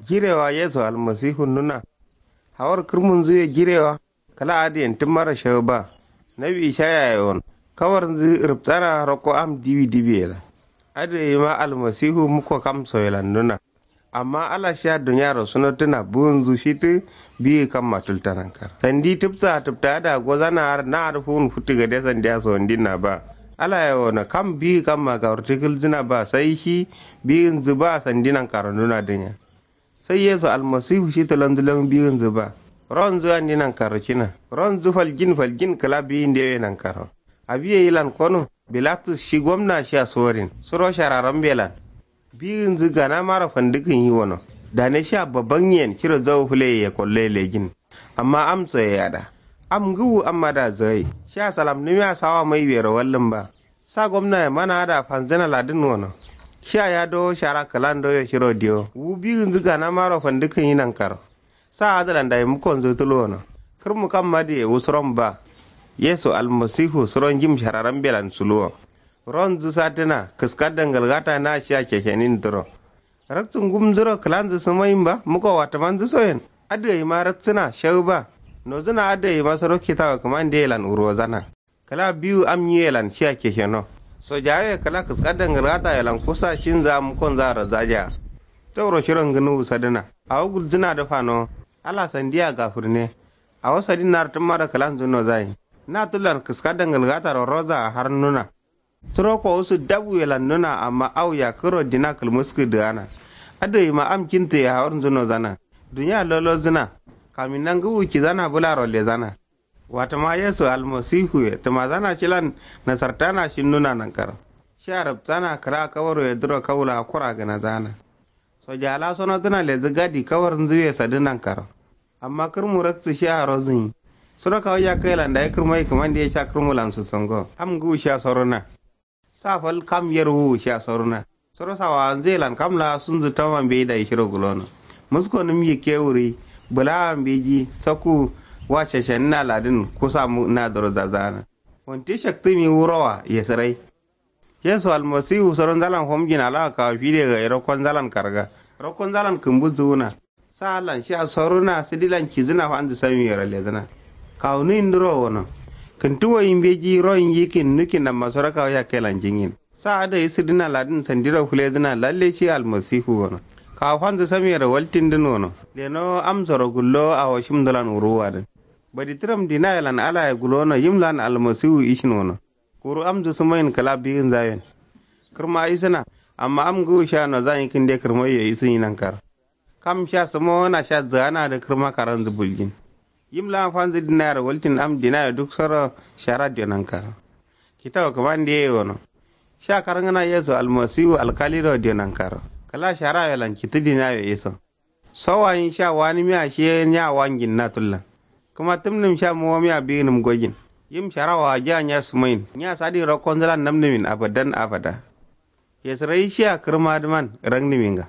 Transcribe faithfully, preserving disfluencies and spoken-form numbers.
Jirewa yesu almasihu nuna. Hawar kǝrmunzǝ ye jirewa. Kǝla adǝyen tǝmmaro shawu ba. Nawi ishaya ye won. Kawarnzǝ rǝptana rokko am diwi diwi ye lan. Adǝ ye yima almasihu mukko kam so ye lan nuna. Amma ala shiya duniyaro sunottǝna buwunzǝ fitǝ. Biyi kamma tulta nankaro sandi tǝpsa tǝpta adǝa gozana har na adǝ fuwun futtǝ gade sandiya sowandinna ba. Ala ye wono kam biyi kamma kawurti kǝlzǝna ba sai shi. Biyinzǝ ba sandi nankaro nuna dǝnya. Sai yesu almasihu shi tǝlonzǝ lon biyinzǝ ba. Ronzǝ andi nankaro cina ronzǝ falgin falgin kǝla biyi ndewe nankaro. Abiye yilan kono. Bilatus shi gomna shiya suworin suro shararambe lan. Biyinzǝ ganamaro fandǝkǝnyi wono. Dane shiya babangyen ciro zawo fǝleye ye kolloye lejin. Amma am soye yada. Am ngǝwu amma da zǝgai. Shiya salamnǝmiya sawa mai wero wallǝn ba. Sa gomnaye mana adǝa fanzǝna ladǝn wono. Shiya ya dowo shara kǝlan doyo shiro diyo wu biyinzǝ ganamaro fandǝkǝnyi nankaro. Sa adǝlan dayi mukkonzǝ tuluwono. Kǝrmu kam adǝye wusuron ba. Yesu almasihu suro njim shararambelan suluwo. Ronzǝ satǝna kǝska dangalgata na shiya ceshenin duro. Raktǝ ngumzǝro kǝlanzǝ sǝmayin ba mukko watǝmanzǝ soyen. Adǝ gaima raktǝna shawu ba. Nozǝna adǝ gaima suro kitawo kǝmande yelan wurwozana. Kǝla biwu am nyi yelan shiya cesheno. Sojawoye kǝla kǝska dangalgata yelan kusa shinzǝa mukkonzǝa razajaa. Tauro shiro ngǝnuwu sadǝna. Awo gulzǝna dǝ fanowo. Ala sandiya gafǝrne. Awo sadin naro tǝmmaro kǝlanzǝ nozayin. Na tullan kǝska dangalgataro roza a har nuna. Suro kowusu dabwu yelan nuna amma au yakkǝro dina kǝlmǝskǝ dǝgana. Adǝ gaima am kintǝye hawarnzǝ nozana. Duniya lolozǝna. Kaminna ngǝwu cizana bǝlaro lezana. Watǝma yesu almasihuye tǝmazana shilan. Nasartana shinnuna nankaro. Shiya rǝpsana kǝla kawaroye duro kawu laa kura gǝnazana. Soja laa sonodǝna lezǝ gadi kawarnzǝye sadǝ nankaro. Amma kǝrmu raktǝ shiya rozǝnyi. Suro kawu yakkai lan dayi kǝrmai kǝmande ye sha kǝrmu lan susongo am ngǝwu shiya soruna. Sa fal kam yer wuwu shiya soruna. Suro sawawanzǝ ye lan kam laa sunzǝ toma mbeyi dayi shiro gulono. Muskonǝm yikke wuri. Bǝlawa mbeji sakku. Wa shashanǝna ladǝn kusa nadǝro zazana. Wante shaktǝmi wurowa yesǝrai. Yesu almasihu soro nzalan fomjin alawa kawo fide gai rokko nzalan karga. Rokko nzalan kǝmbu zuwuna. Sa allan shiya soruna sǝdilan cizǝna fanzǝ samiyero lezǝna. Kawu nuyin duro wono. Kǝntuwoyi mbeji royin yikin nukin amma soro kawu yakkailan jingin. Sa adai sǝdǝna ladǝn sandiro fǝlezǝna lalle shi almasihu wono. Kawu fanzǝ samiyero waltindǝn wono. Lenowo amsoro gullowo awo shimdǝlan wuruwuwadǝn. Badi tǝram dinayelan alaye gulono yim lan almasihu ishin wono. Kuru amdǝ sǝmayin kǝla biyinzayen. Kǝrma isǝna. Amma am ngǝwu shiya nozanyi kǝnde kǝrmaiyo isǝnyi nankaro. Kam shiya sǝmowona shiya zǝganadǝ kǝrma karanzǝ buljin. Yim laa fanzǝ dinayero waltin am dinaye duk soro shara diyo nankaro. Kitawu kǝmande ye wono. Shiya karngǝna yesu almasihu alkaliro diyo nankaro. Kǝla sharayelan cittǝ dinaye iso. Sowayin sha wanimiya shiye nya wanjin na tullan. Kǝma tǝmnǝm sha mowomiya biginǝm gojin. Yim sharawa ajiya nya sumayin nya sadin rokkonzǝlan namnǝmin abadan abada. Yesǝrai shiya kǝrmadǝman rangnǝminga.